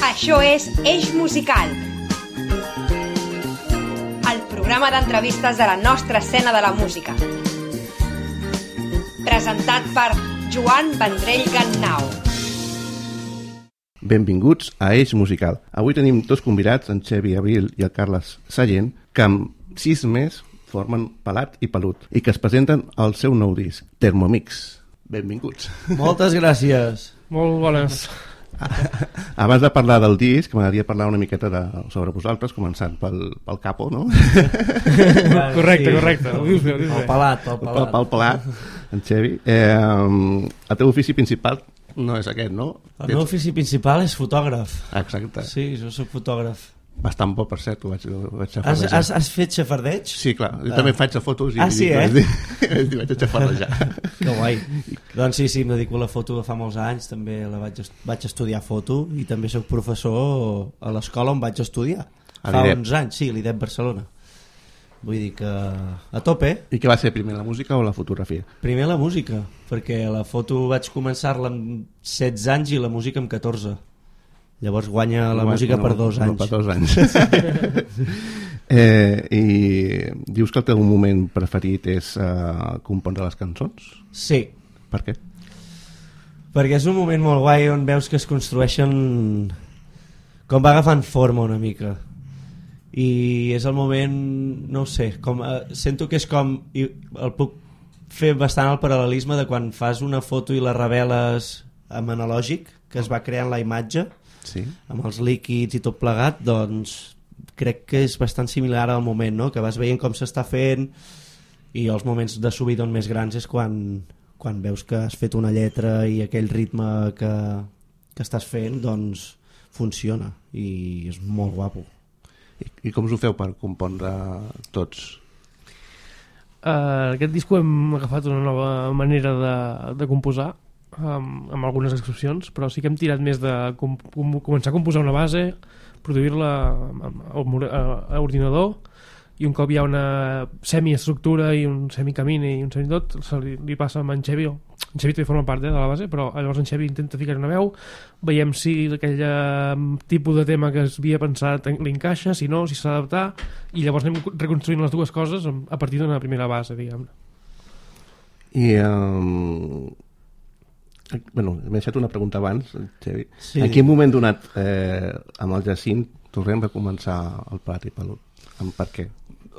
Això és Eix Musical, el programa d'entrevistes de la nostra escena de la música. Presentat per Joan Vendrell Gannau. Benvinguts a Eix Musical. Avui tenim dos convidats, en Xevi Abril i el Carles Sallent, que amb 6 mesos formen Pelat i Pelut i que es presenten el seu nou disc, Thermomix. Benvinguts. Moltes gràcies. Molt bones. Abans de parlar del disc, m'agradaria parlar una miqueta sobre vosaltres, començant pel Capo, no? Correcte. Ho dius bé. El Pelat. Pel Pelat, en Xevi. El teu ofici principal no és aquest, no? El meu ofici principal és fotògraf. Exacte. Sí, jo soc fotògraf. Bastant bo, per cert, ho vaig xafardejar. Has fet xafardeig? Sí, clar, jo també faig fotos i sí, vaig xafardejar. Que guai. Doncs sí, em dedico a la foto de fa molts anys, també vaig estudiar foto i també soc professor a l'escola on vaig estudiar. Fa uns anys, sí, a l'IDEP Barcelona. Vull dir que a tope. I què va ser primer, la música o la fotografia? Primer la música, perquè la foto vaig començar-la amb 16 anys i la música amb 14. Llavors guanya la música per 2 anys. Per 2 anys. I dius que el teu moment preferit és compondre les cançons? Sí. Per què? Perquè és un moment molt guai on veus que es construeixen, com va agafant forma una mica. I és el moment, no ho sé, sento que és com, i el puc fer bastant el paral·lelisme de quan fas una foto i la reveles amb analògic, que es va creant la imatge, sí, amb els líquids i tot plegat, doncs crec que és bastant similar al moment, no? Que vas veient com s'està fent, i els moments de subidon més grans és quan veus que has fet una lletra i aquell ritme que estàs fent doncs funciona i és molt guapo. I com us ho feu per compondre tots? Aquest disc hem agafat una nova manera de composar, amb algunes excepcions, però sí que hem tirat més de començar a composar una base, produir-la a ordinador, i un cop hi ha una semiestructura i un semicamí i un semitot, li passa amb en Xevi. En Xevi també forma part de la base, però llavors en Xevi intenta ficar una veu, veiem si aquell tipus de tema que es havia pensat li encaixa, si no, si s'ha d'adaptar, i llavors anem reconstruint les dues coses a partir d'una primera base, diguem-ne. I bueno, m'he deixat una pregunta abans, Xevi. Sí. En quin moment donat amb el Jacint tornem a començar el Pelat i Pelut? Per què?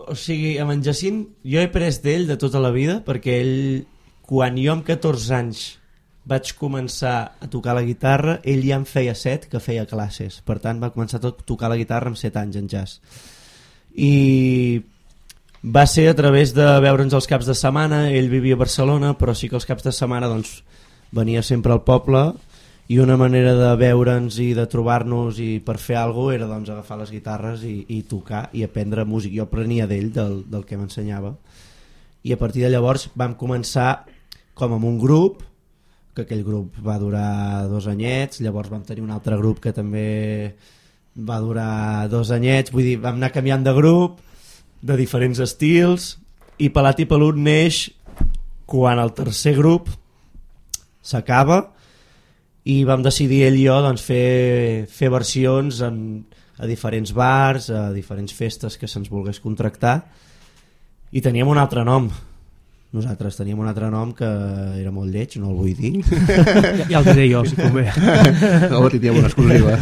O sigui, amb en Jacint jo he pres d'ell de tota la vida, perquè ell, quan jo amb 14 anys vaig començar a tocar la guitarra, ell ja en feia 7 que feia classes, per tant va començar a tocar la guitarra amb 7 anys en jazz, i va ser a través de veure'ns els caps de setmana. Ell vivia a Barcelona, però sí que els caps de setmana doncs venia sempre al poble, i una manera de veure'ns i de trobar-nos i per fer alguna cosa era doncs agafar les guitarres i tocar i aprendre música. Jo aprenia d'ell, del que m'ensenyava, i a partir de llavors vam començar com amb un grup, que aquell grup va durar 2 anyets, llavors vam tenir un altre grup que també va durar 2 anyets, vull dir, vam anar canviant de grup, de diferents estils, i Pelat i Pelut neix quan el tercer grup s'acaba i vam decidir ell i jo doncs, fer versions a diferents bars, a diferents festes que se'ns volgués contractar, i teníem un altre nom. Nosaltres teníem un altre nom que era molt lleig, no el vull dir. Ja el diré jo, si convé. No, tindríem una exclusiva.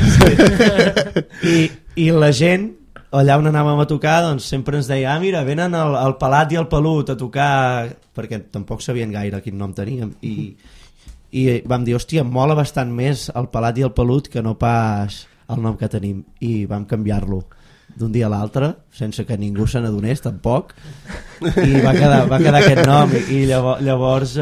Sí. I la gent, allà on anàvem a tocar, doncs sempre ens deia, mira, venen el Pelat i el Pelut a tocar, perquè tampoc sabien gaire quin nom teníem, i vam dir, hòstia, mola bastant més el Pelat i el Pelut que no pas el nom que tenim, i vam canviar-lo d'un dia a l'altre sense que ningú se n'adonés tampoc, i va quedar aquest nom, i llavors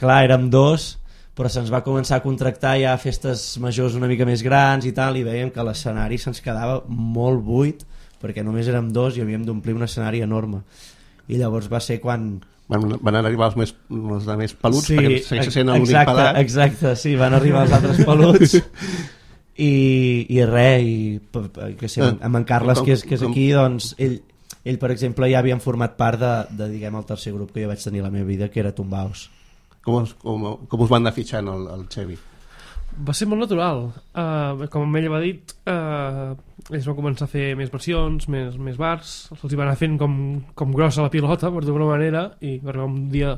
clar, érem 2, però se'ns va començar a contractar ja a festes majors una mica més grans i tal, i veiem que l'escenari se'ns quedava molt buit perquè només érem 2 i havíem d'omplir un escenari enorme, i llavors va ser quan van arribar els més peluts, sí, perquè segueix sent l'únic pelat. Exacte, sí, van arribar els altres peluts i res, que sé, amb en Carles que és aquí, doncs ell per exemple ja havien format part de diguem, el tercer grup que jo vaig tenir a la meva vida, que era Tombaus. Com us van anar fitxant el Xevi? Va ser molt natural. Com ella va dit, ells van començar a fer més versions, més bars, se'ls va anar fent com grossa la pilota, per d'alguna manera, i va arribar un dia...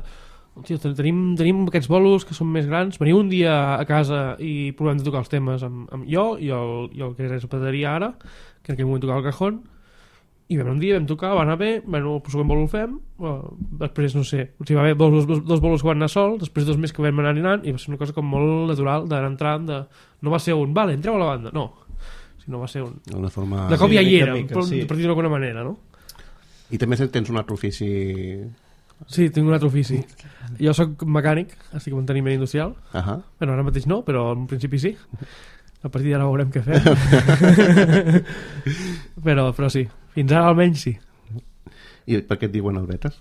Hòstia, tenim aquests bolos que són més grans, veniu un dia a casa i provem de tocar els temes amb jo i el que és la bateria ara, que en aquell moment tocava el cajón, i vam un dia, vam tocar, va anar bé, bueno, el següent bolo el fem, després no sé, o sigui, va haver dos bolos que van anar sol, després 2 més que vam anar anant, i va ser una cosa com molt natural d'anar entrant, no va ser vale, entreu a la banda, no, sinó va ser una forma... de cop ja hi era, mica, per dir-ho d'alguna manera, no? I també tens un altre ofici... Sí, tinc un altre ofici. Jo sóc mecànic, estic en manteniment industrial. Bueno, ara mateix no, però en principi sí. A partir d'ara veurem què fem. però sí, fins ara almenys sí. I per què et diuen el Betes?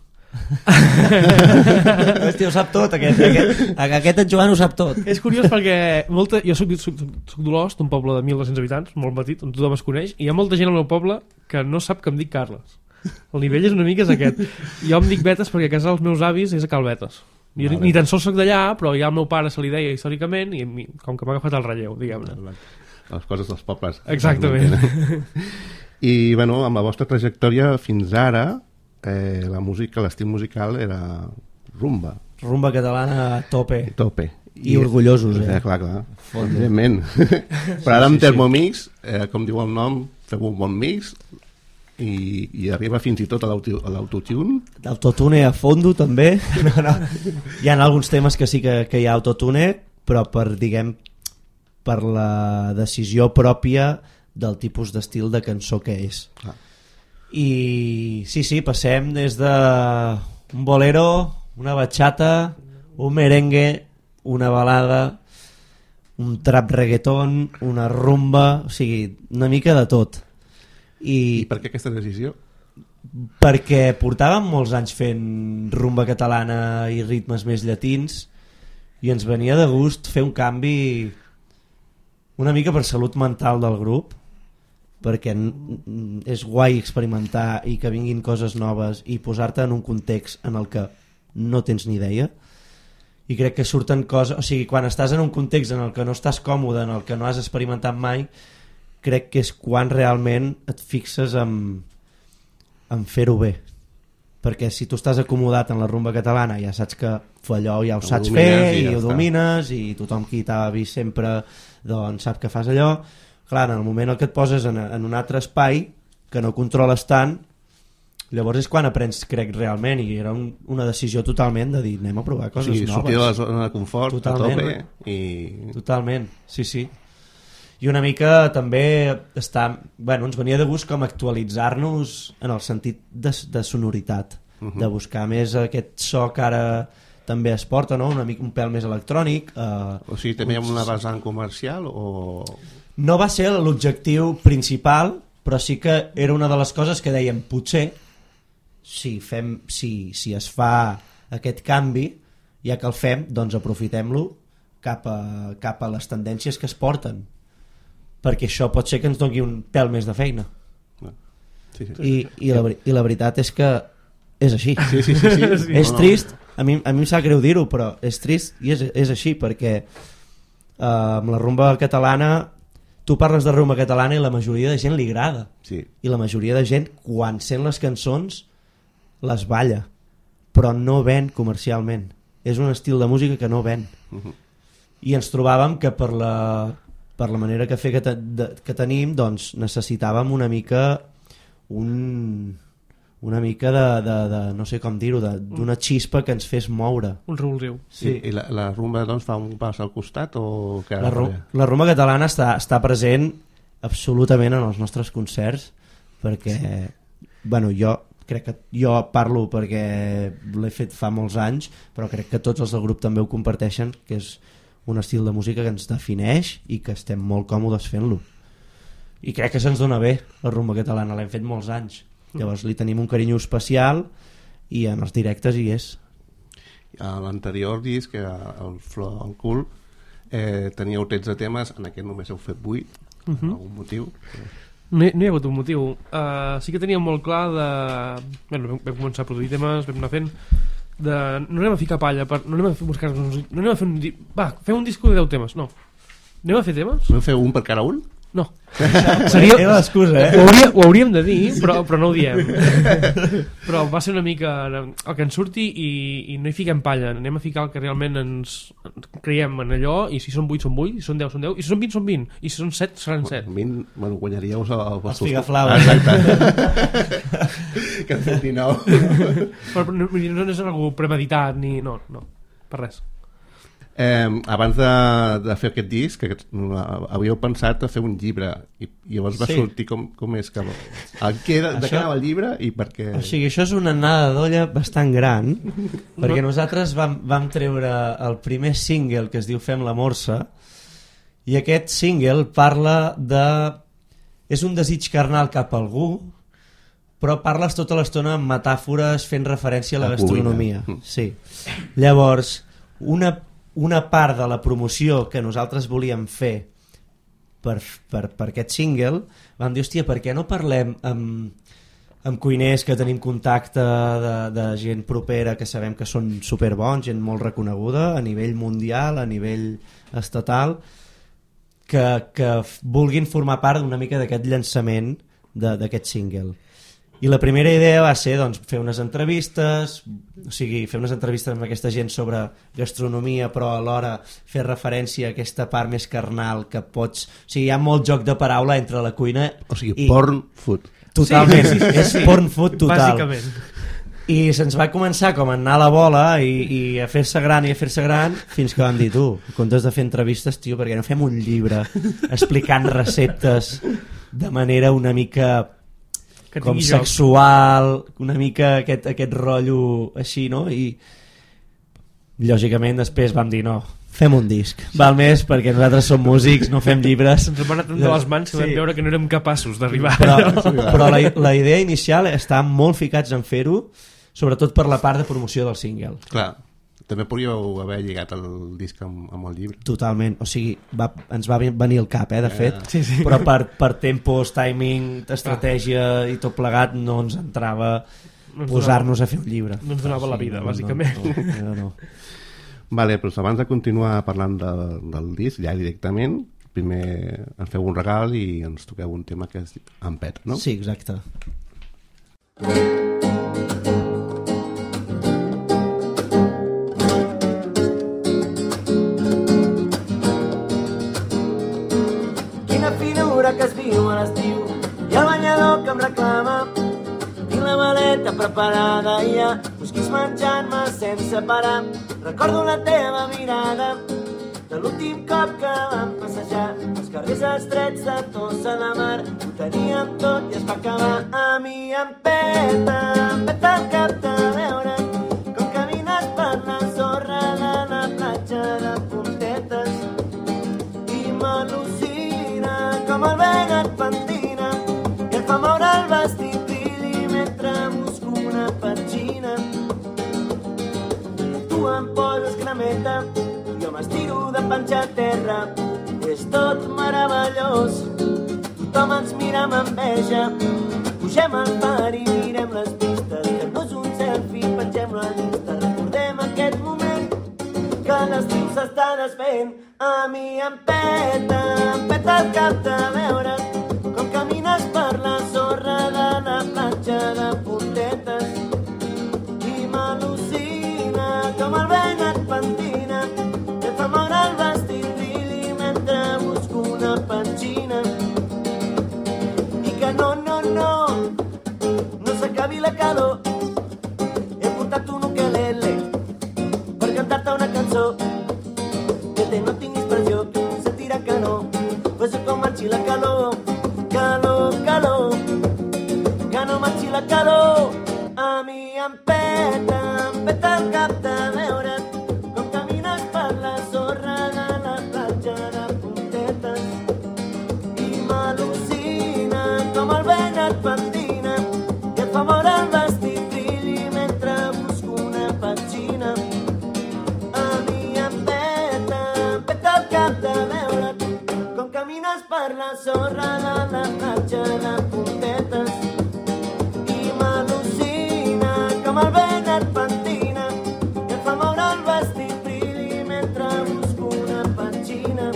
Hòstia, ho sap tot aquest en Joan ho sap tot. És curiós perquè jo soc d'Olost, un poble de 1.200 habitants, molt petit, on tothom es coneix, i hi ha molta gent al meu poble que no sap que em dic Carles. El nivell és una mica aquest. Jo em dic Betes perquè a casa dels meus avis és a Cal Betes. Jo ni tan sols soc d'allà, però ja al meu pare se li deia històricament i com que m'ha agafat el relleu, diguem-ne. Les coses dels pobles. Exactament. I bueno, amb la vostra trajectòria fins ara, la música, l'estil musical era rumba. Rumba catalana a tope. I orgullosos, Clar. Evidentment. Però ara amb Thermomix, com diu el nom, feu un bon mix i arriba fins i tot a l'autotune. L'autotune a fondo també. No. Hi ha alguns temes que sí que hi ha autotune, però per la decisió pròpia del tipus d'estil de cançó que és. I sí, passem des de un bolero, una bachata, un merengue, una balada, un trap reggaeton, una rumba, o sigui, una mica de tot. I per què aquesta decisió? Perquè portàvem molts anys fent rumba catalana i ritmes més llatins i ens venia de gust fer un canvi una mica per salut mental del grup, perquè és guai experimentar i que vinguin coses noves i posar-te en un context en el que no tens ni idea, i crec que surten coses, o sigui, quan estàs en un context en el que no estàs còmode, en el que no has experimentat mai, crec que és quan realment et fixes en fer-ho bé, perquè si tu estàs acomodat en la rumba catalana ja saps que allò ja ho saps fer i ho domines i tothom qui t'ha vist sempre doncs sap que fas allò. Clar, en el moment en què et poses en un altre espai que no controles tant, llavors és quan aprens, crec, realment, i era una decisió totalment de dir anem a provar coses noves. Sortir de la zona de confort totalment. A tope Totalment, sí. I una mica també ens venia de gust com actualitzar-nos en el sentit de sonoritat, de buscar més aquest so que ara també es porta, no? Un pèl més electrònic. O sigui, també hi ha una vessant comercial o... No va ser l'objectiu principal, però sí que era una de les coses que dèiem, potser si es fa aquest canvi, ja que el fem, doncs aprofitem-lo cap a les tendències que es porten, perquè això pot ser que ens doni un pèl més de feina. Sí. I la veritat és que és així. Sí. És trist, a mi em sap greu dir-ho, però és trist i és així, perquè amb la rumba catalana tu parles de rumba catalana i la majoria de gent li agrada, i la majoria de gent quan sent les cançons les balla, però no ven comercialment, és un estil de música que no ven. I ens trobàvem que per la manera que fer que tenim, doncs necessitàvem una mica de no sé com dir-ho, d'una xispa que ens fes moure. Un revulsiu. Sí. I la rumba doncs fa un pas al costat o... La rumba catalana està present absolutament en els nostres concerts, perquè jo parlo perquè l'he fet fa molts anys, però crec que tots els del grup també ho comparteixen, que és un estil de música que ens defineix i que estem molt còmodes fent-lo, i crec que se'ns dona bé la rumba catalana, l'hem fet molts anys, llavors li tenim un carinyo especial i en els directes hi és. A l'anterior disc, el Flor al cul, teníeu 13 temes, en aquest només heu fet 8, per algun motiu? No hi ha hagut un motiu. Sí que teníem molt clar vam començar a produir temes, vam anar fent no anem a ficar palla, no anem a buscar, no anem a fer fem un disco de 10 temes, no, Anem a fer temes? Podem fer un per cada un? No. Seria l'excusa, Ho hauríem de dir, però no ho diem. Però va ser una mica el que ens surti i no hi fiquem palla. Anem a ficar el que realment ens creiem en allò, i si són 8 són 8, si són 10 són 10, i si són 20 són 20, i si són 7 seran 7. 20, bueno, guanyaríeu els figaflaus. Exacte. Que han fet 19. Però no és algú premeditat ni... No, per res. Abans de fer aquest disc havíeu pensat a fer un llibre i llavors va sortir com és que de què anava el llibre i per què... O sigui, això és una anada d'olla bastant gran perquè nosaltres vam treure el primer single que es diu Fem la Morsa, i aquest single parla de... és un desig carnal cap a algú, però parles tota l'estona amb metàfores fent referència a la gastronomia. Sí. Llavors, una part de la promoció que nosaltres volíem fer per aquest single, vam dir, hòstia, per què no parlem amb cuiners que tenim contacte de gent propera que sabem que són superbons, gent molt reconeguda a nivell mundial, a nivell estatal, que vulguin formar part una mica d'aquest llançament d'aquest single. I la primera idea va ser fer unes entrevistes, o sigui, fer unes entrevistes amb aquesta gent sobre gastronomia, però alhora fer referència a aquesta part més carnal que pots... O sigui, hi ha molt joc de paraula entre la cuina... O sigui, porn food. Totalment, és porn food total. Bàsicament. I se'ns va començar com a anar a la bola i a fer-se gran fins que vam dir, tu, en comptes de fer entrevistes, tio, perquè no fem un llibre explicant receptes de manera una mica... com sexual, una mica aquest rotllo així, no? I lògicament després vam dir no, fem un disc, val més perquè nosaltres som músics, no fem llibres. Ens van anar de les mans que vam veure que no érem capaços d'arribar. Però la idea inicial està molt ficats en fer-ho, sobretot per la part de promoció del single. Clar, també podríeu haver lligat el disc amb el llibre. Totalment, o sigui, ens va venir al cap, de fet, sí. Però per tempos, timing, estratègia i tot plegat no ens entrava posar-nos a fer un llibre. No ens donava la vida, bàsicament. No. Vale, però abans de continuar parlant del disc, ja directament, primer ens feu un regal i ens toqueu un tema que és Ampet, no? Sí, exacte. Que es viu a l'estiu i el banyador que em reclama, tinc la maleta preparada i ja busquis menjant-me sense parar. Recordo la teva mirada de l'últim cop que vam passejar els carrers estrets de Tossa de Mar. Ho teníem tot i es va acabar. A mi em peta el cap de veure com camines per la sorra de la platja de Puntetes i m'al·lucina com el vent et pentina i et fa moure el vestit brilli mentre busco una petxina. Tu em poses cremeta i jo m'estiro de panxa a terra. És tot meravellós, tothom ens mira amb enveja. Pugem al far i mirem les pistes, fem-nos un selfie, pengem-lo a l'Insta. Recordem aquest moment que l'estiu s'està desfent. A mi em peta el cap de veure com camines per la sorra de la platja de Puntetes i m'al·lucina com el vent et pentina i et fa moure el vestit brilli mentre busco una petxina. I que no s'acabi la calor. He portat un ukelele per cantar-te una cançó que no tinguis pressió, que no sentirà que no. Pues com marxi la calor, calor, que no marxi la calor. A mi em peta el cap de veure com camines per la sorra de la platja de Puntetes i m'al·lucina com el vent et pentina i et fa moure el vestit brilli mentre busco una petxina. A mi em peta el cap de veure com camines per la sorra de la platja de Puntetes i m'al·lucina com el vent et pentina i et fa moure el vestit brilli mentre busco una petxina.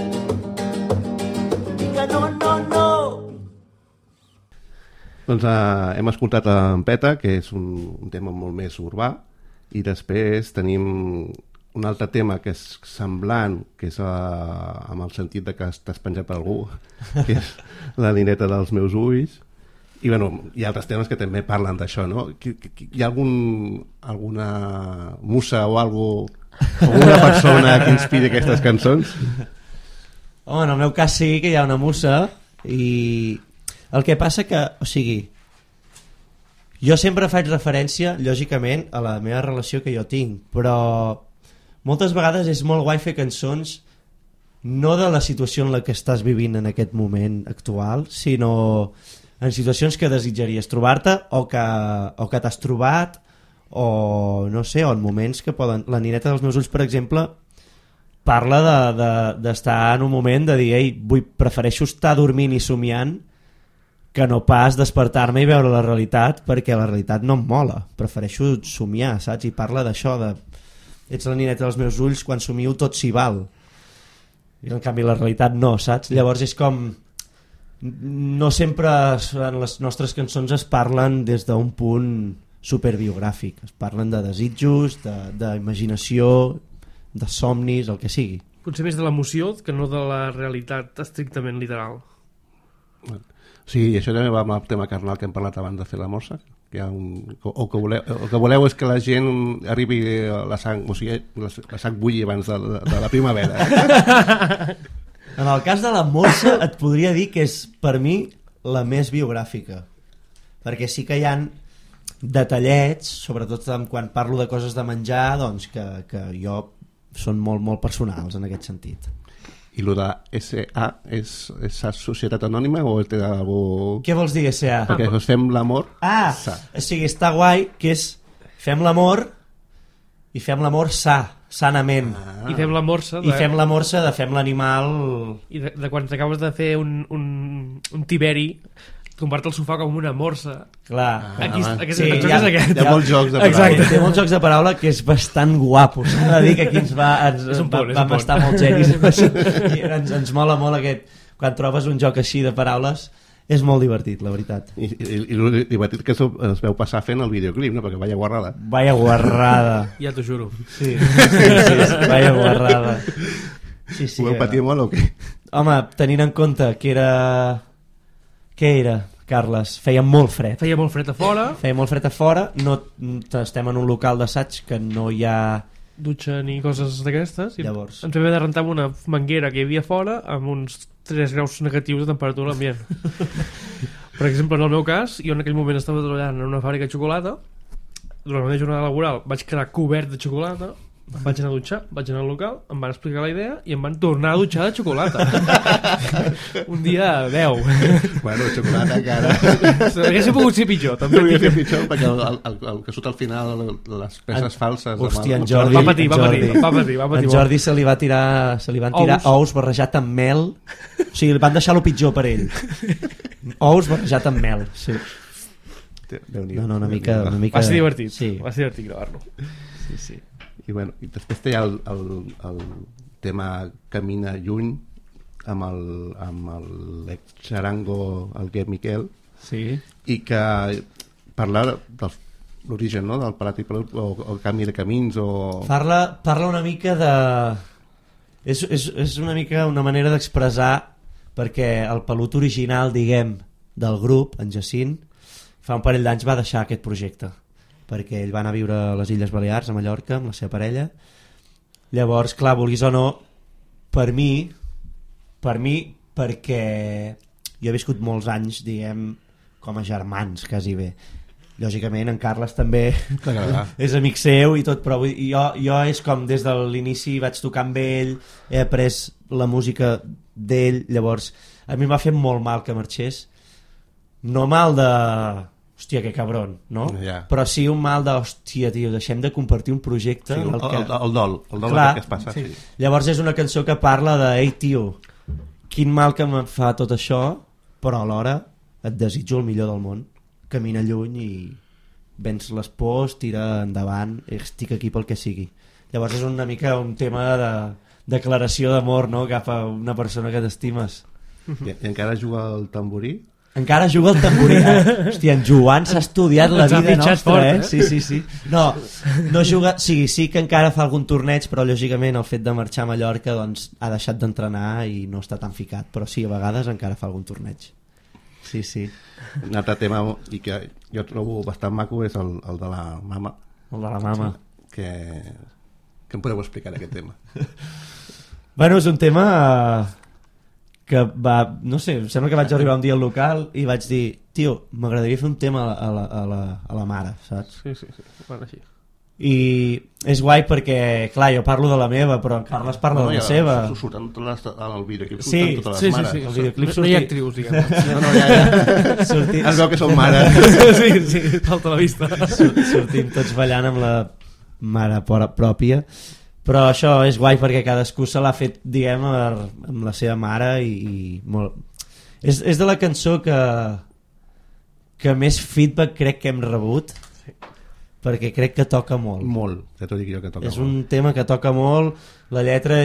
Doncs hem escoltat en Peta, que és un tema molt més urbà, i després tenim un altre tema que és semblant, que és amb el sentit de que estàs penjat per algú, que és la nineta dels meus ulls. I bueno, hi ha altres temes que també parlen d'això, no? Hi ha alguna musa o alguna persona que inspiri aquestes cançons? Home, en el meu cas sí que hi ha una musa, i el que passa que, o sigui, jo sempre faig referència, lògicament, a la meva relació que jo tinc, però moltes vegades és molt guai fer cançons no de la situació en la que estàs vivint en aquest moment actual, sinó en situacions que desitjaries trobar-te o que t'has trobat, o no sé, o en moments que poden... La nineta dels meus ulls, per exemple, parla d'estar en un moment de dir, ei, prefereixo estar dormint i somiant que no pas despertar-me i veure la realitat, perquè la realitat no em mola, prefereixo somiar, saps? I parla d'això, ets la nineta dels meus ulls, quan somio tot s'hi val, i en canvi la realitat no, saps? Llavors és com... No sempre en les nostres cançons es parlen des d'un punt superbiogràfic, es parlen de desitjos, d'imaginació, de somnis, el que sigui. Potser més de l'emoció que no de la realitat estrictament literal. Sí, i això també va amb el tema carnal que hem parlat abans de fer la morsa, que hi ha el que voleu és que la gent arribi a la sang, o sigui, la sang bulli abans de la primavera. En el cas de la morsa et podria dir que és per mi la més biogràfica, perquè sí que hi ha detallets, sobretot quan parlo de coses de menjar, doncs que jo són molt, molt personals en aquest sentit. I el de SA és societat anònima o té algú... Què vols dir SA? Perquè fem l'amor... O sigui, està guai que és fem l'amor i fem l'amor sanament. I fem la morsa I fem la morsa de fem l'animal... I de quan t'acabes de fer un tiberi, tombar-te al sofà com una morsa. Clar. Aquí, sí, el joc és aquest. Hi ha molts jocs de paraula. Exacte. Té molts jocs de paraula que és bastant guapo. S'ha de dir que aquí vam estar molt genis. Ens mola molt aquest... Quan trobes un joc així de paraules, és molt divertit, la veritat. I el divertit que es veu passar fent el videoclip, no? Perquè vaya guarrada. Vaya guarrada. Ja t'ho juro. Sí, vaya guarrada. Sí, Ho veu patir molt o què? Home, tenint en compte que era... Què era, Carles? Feia molt fred. Feia molt fred a fora. Feia molt fred a fora. No, estem en un local d'assaig que no hi ha... dutxa ni coses d'aquestes. Llavors ens vam haver de rentar amb una manguera que hi havia fora amb uns 3 graus negatius de temperatura a l'ambient. Per exemple, en el meu cas, jo en aquell moment estava treballant en una fàbrica de xocolata. Durant la meva jornada laboral vaig quedar cobert de xocolata, em vaig anar a dutxar, vaig anar al local, em van explicar la idea i em van tornar a dutxar de xocolata. Un dia 10. Bueno, xocolata que ara... Hauria pogut ser pitjor, també. Hauria ser pitjor, perquè el que surt al final, les peces falses... Hòstia, en Jordi... Va patir. En Jordi se li van tirar ous barrejat amb mel. O sigui, van deixar-lo pitjor per ell. Ous barrejat amb mel, sí. No, una mica... Va ser divertit, sí. Va ser divertit gravar-lo. Sí. I després té el tema Camina lluny amb l'ex-xarango el Guet Miquel, sí. I que parla de l'origen, no? Del Parat i Pelut o el canvi de camins o... Parla una mica de... És una mica una manera d'expressar, perquè el Pelut original, diguem, del grup, en Jacint, fa un parell d'anys va deixar aquest projecte, perquè ell va anar a viure a les Illes Balears, a Mallorca, amb la seva parella. Llavors, clar, vulguis o no, per mi, perquè jo he viscut molts anys, diguem, com a germans, quasi bé. Lògicament, en Carles també és amic seu i tot, però jo és com des de l'inici vaig tocar amb ell, he après la música d'ell, llavors a mi em va fer molt mal que marxés. No mal de... hòstia, que cabron, no? Yeah. Però sí un mal de, hòstia, tio, deixem de compartir un projecte... Sí, el dol clar, que es passa. Sí. Llavors és una cançó que parla de, ei, tio, quin mal que em fa tot això, però alhora et desitjo el millor del món. Camina lluny i vens les pors, tira endavant, estic aquí pel que sigui. Llavors és una mica un tema de declaració d'amor, no?, cap a una persona que t'estimes. I encara juga el tamborí? Encara juga al tamborí. Hòstia, en Joan s'ha estudiat la Ens ha vida fitxat nostra, fort, Sí. No juga... Sí que encara fa algun torneig, però lògicament el fet de marxar a Mallorca doncs, ha deixat d'entrenar i no està tan ficat. Però sí, a vegades encara fa algun torneig. Sí. Un altre tema i que jo trobo bastant maco és el de la mama. El de la mama. Que em podeu explicar aquest tema? Bueno, és un tema que va... No sé, em sembla que vaig arribar un dia al local i vaig dir, tio, m'agradaria fer un tema a la mare, saps? Sí, bueno, així. I és guai perquè, clar, jo parlo de la meva, però en Carles parla de la seva. Surten el videoclip, Sí, surten totes les mares. el videoclip No hi ha actrius, diguem. No, ja. Es veu que són mares. Sí, falta la vista. Sortim tots ballant amb la mare pròpia, però això és guai perquè cadascú se l'ha fet, diguem, amb la seva mare i molt... És de la cançó que més feedback crec que hem rebut, perquè crec que toca molt. Molt, ja t'ho dic jo que toca és molt. un tema que toca molt, la lletra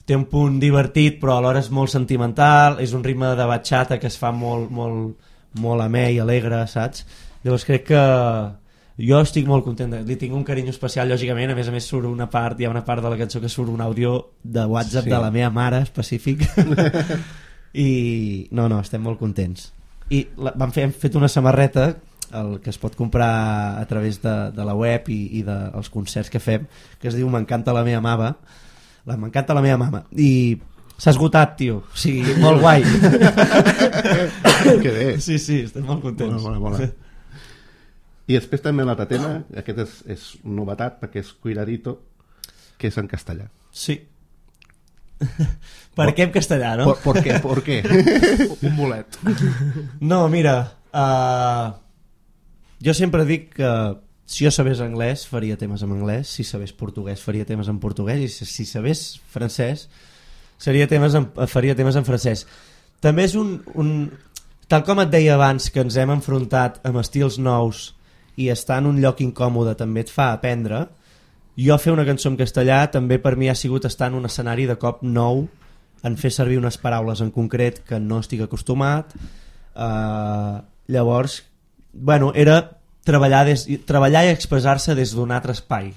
té un punt divertit però alhora és molt sentimental, és un ritme de batxata que es fa molt amè i alegre, saps? Llavors crec que jo estic molt content, li tinc un carinyo especial, lògicament, a més surt hi ha una part de la cançó que surt un àudio de WhatsApp de la meva mare específic i no, estem molt contents i hem fet una samarreta el que es pot comprar a través de la web i dels concerts que fem, que es diu M'encanta la meva mama, m'encanta la meva mama, i s'ha esgotat, tio, o sigui, molt guai. Que bé. Sí, estem molt contents. Mola. I després també l'altre tema, aquest és novetat perquè és Cuidadito, que és en castellà. Sí. Per què en castellà, no? ¿Por qué? Un bolet. No, mira, jo sempre dic que si jo sabés anglès faria temes en anglès, si sabés portuguès faria temes en portuguès i si sabés francès faria temes en francès. També és tal com et deia abans que ens hem enfrontat amb estils nous i estar en un lloc incòmode també et fa aprendre, jo fer una cançó en castellà també per mi ha sigut estar en un escenari de cop nou, en fer servir unes paraules en concret que no estic acostumat, llavors bueno, era treballar i expressar-se des d'un altre espai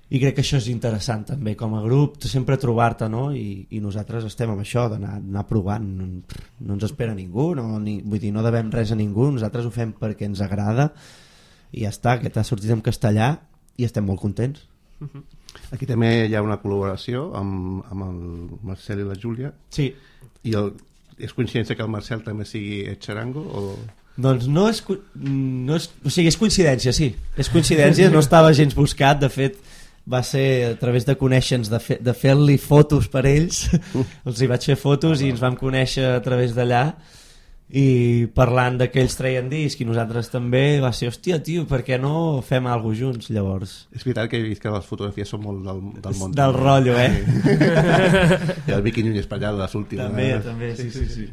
i crec que això és interessant també com a grup, sempre trobar-te, no? I nosaltres estem amb això d'anar provant, no ens espera ningú, vull dir, no devem res a ningú, nosaltres ho fem perquè ens agrada i ja està, que t'ha sortit en castellà i estem molt contents. Aquí també hi ha una col·laboració amb el Marcel i la Júlia. Sí. I és coincidència que el Marcel també sigui Ed Charango o... Doncs no és o sigui, és coincidència, sí. És coincidència, no estava gens buscat, de fet va ser a través de conèixer-nos, de fer-li fotos per ells, els hi vaig fer fotos i ens vam conèixer a través d'allà i parlant que ells treien disc i nosaltres també, va ser, hòstia, tio, per què no fem alguna cosa junts, llavors? És veritat que he vist que les fotografies són molt del món. Del rotllo, I el Vicky Núñez per allà de les últimes. També, sí.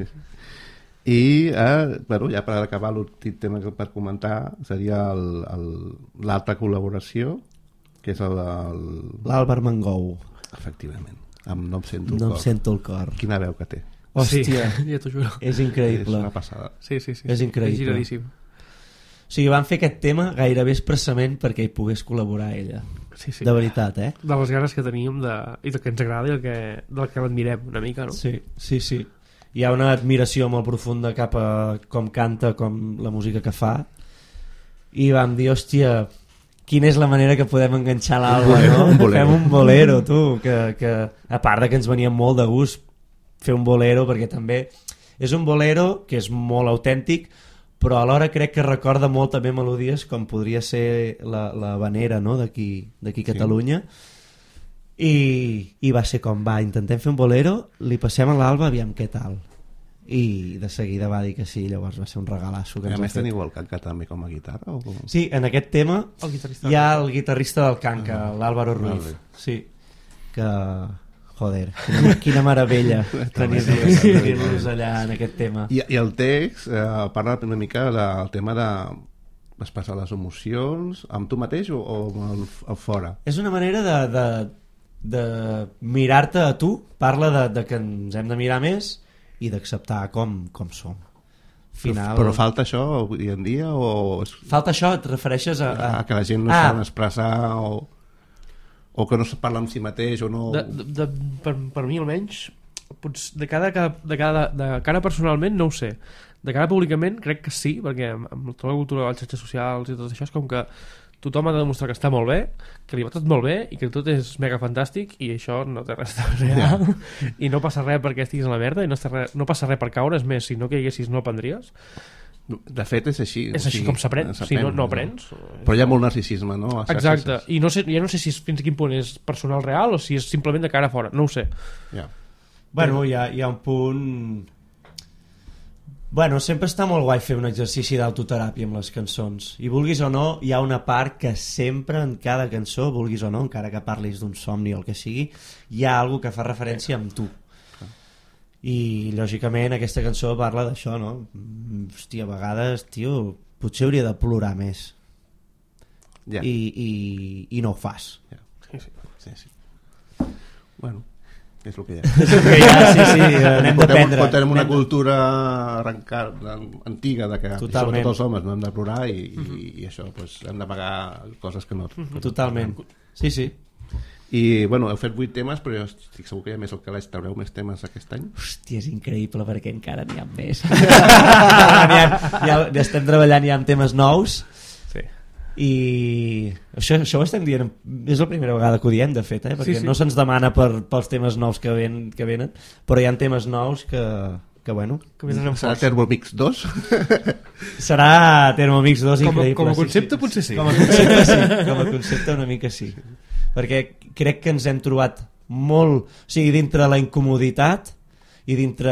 I bueno, ja per acabar l'últim tema que per comentar seria l'altra col·laboració que és l'Àlvar Mangou, efectivament, amb No em sento el cor. Sento el cor. Quina veu que té. Hòstia, sí, ja t'ho juro. És increïble. És una passada. Sí. És increïble. És giradíssim. O sigui, van fer aquest tema gairebé expressament perquè hi pogués col·laborar ella. Sí. De veritat, de les ganes que teníem i del que ens agrada i del que l'admirem una mica, no? Sí. Hi ha una admiració molt profunda cap a com canta, com la música que fa, i vam dir, hòstia, quina és la manera que podem enganxar l'Alba, no? Fem un bolero, tu, que a part de que ens venia molt de gust fer un bolero, perquè també és un bolero que és molt autèntic, però alhora crec que recorda molt també melodies com podria ser la vanera, no? d'aquí Catalunya, i va ser com, intentem fer un bolero, li passem a l'Alba, aviam què tal, i de seguida va dir que sí, llavors va ser un regalasso que a més teniu el Canca també com a guitarra? O com? Sí, en aquest tema hi ha el guitarrista del Canca, l'Álvaro Ruiz, sí, que joder, quina meravella tenir-los allà en aquest tema. I el text parla una mica del tema de expressar les emocions amb tu mateix o amb el fora? És una manera de mirar-te a tu, parla de que ens hem de mirar més i d'acceptar com som. final. Però falta això avui en dia o Falta això, et refereixes a... que la gent no saben expressar o que no se parla amb si mateix o no... Per mi almenys, de cara personalment no ho sé, de cara públicament crec que sí, perquè amb tota la cultura de les xarxes socials i tot això és com que tothom ha de demostrar que està molt bé, que li va tot molt bé i que tot és mega fantàstic, i això no té res de real i no passa res perquè estiguis a la merda i no passa res per caure, és més, si no caiguessis no aprendries. De fet és així. És així com s'aprèn, si no aprens. Però hi ha molt narcisisme, no? Exacte, i ja no sé si fins a quin punt és personal real o si és simplement de cara a fora, no ho sé. Bueno, hi ha un punt... Bueno, sempre està molt guai fer un exercici d'autoteràpia amb les cançons, i vulguis o no hi ha una part que sempre en cada cançó, vulguis o no, encara que parlis d'un somni o el que sigui, hi ha alguna que fa referència amb tu, i lògicament aquesta cançó parla d'això, no? Hòstia, a vegades, tio, potser hauria de plorar més i no ho fas. Sí. Bueno, és el que hi ha. Sí, anem d'aprendre. Tenim una cultura antiga de que sobretot els homes no hem de plorar i això, doncs, hem de pagar coses que no. Totalment. Sí. I bueno, heu fet 8 temes, però jo estic segur que hi ha més al calaix. Traureu més temes aquest any? Hòstia, és increïble perquè encara n'hi ha més. Ja estem treballant ja amb temes nous. I això ho estem dient, és la primera vegada que ho diem de fet, perquè no se'ns demana pels temes nous que venen, però hi ha temes nous que bueno, serà Thermomix 2? Serà Thermomix 2 increïble. Com a concepte potser sí. Com a concepte sí, com a concepte una mica sí, perquè crec que ens hem trobat molt, o sigui, dintre la incomoditat i dintre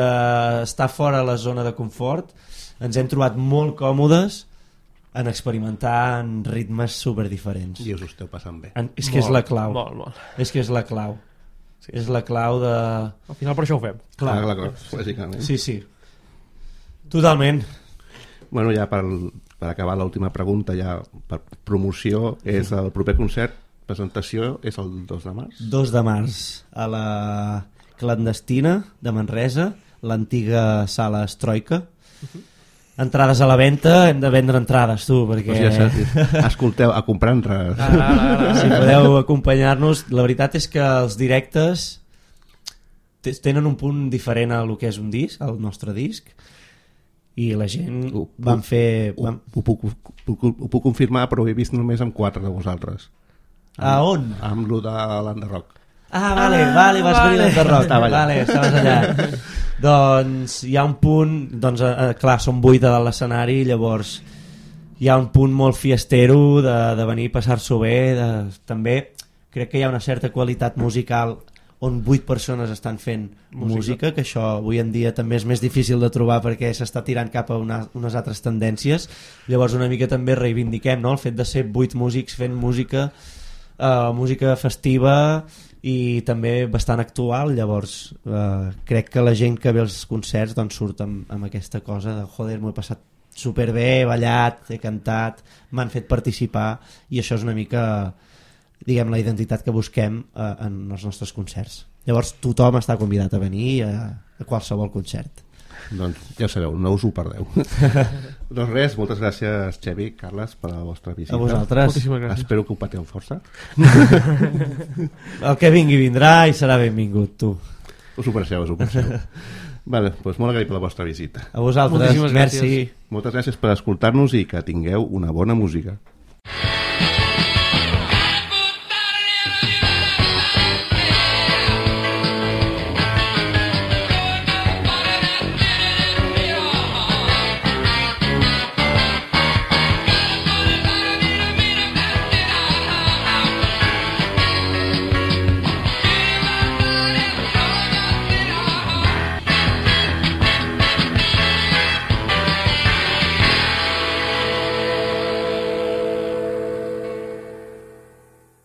estar fora la zona de confort, ens hem trobat molt còmodes en experimentar en ritmes super diferents. I us ho esteu passant bé. És que és la clau. Molt. És que és la clau. Sí. És la clau de... Al final per això ho fem. Clar, lògicament. Sí. Totalment. Bueno, ja per acabar l'última pregunta, ja per promoció, és el proper concert, presentació, és el 2 de març? 2 de març, a la Clandestina de Manresa, l'antiga sala Estroika. Entrades a la venda, hem de vendre entrades, tu, perquè... Escolteu, a comprar entrades. Si podeu acompanyar-nos. La veritat és que els directes tenen un punt diferent a lo que és un disc, el nostre disc, i la gent van fer... Ho puc confirmar, però ho he vist només amb 4 de vosaltres. A on? Amb lo de l'Underrock. Vale, vas venir d'Underrock. Vale, estaves allà. Doncs hi ha un punt, clar, som 8 a dalt l'escenari, llavors hi ha un punt molt fiestero de venir a passar-s'ho bé, també crec que hi ha una certa qualitat musical on 8 persones estan fent música, que això avui en dia també és més difícil de trobar perquè s'està tirant cap a unes altres tendències, llavors una mica també reivindiquem, no? El fet de ser 8 músics fent música festiva i també bastant actual, llavors crec que la gent que ve als concerts doncs surt amb aquesta cosa de joder, m'ho he passat superbé, he ballat, he cantat, m'han fet participar, i això és una mica, diguem, la identitat que busquem en els nostres concerts. Llavors tothom està convidat a venir a qualsevol concert. Doncs ja sabeu, no us ho perdeu. Doncs res, moltes gràcies Xevi, Carles, per la vostra visita. A vosaltres. Espero que ho pateu força. El que vingui vindrà i serà benvingut, tu. Us ho passeu. Vale, doncs molt agraït per la vostra visita. A vosaltres, merci. Moltes gràcies per escoltar-nos i que tingueu una bona música.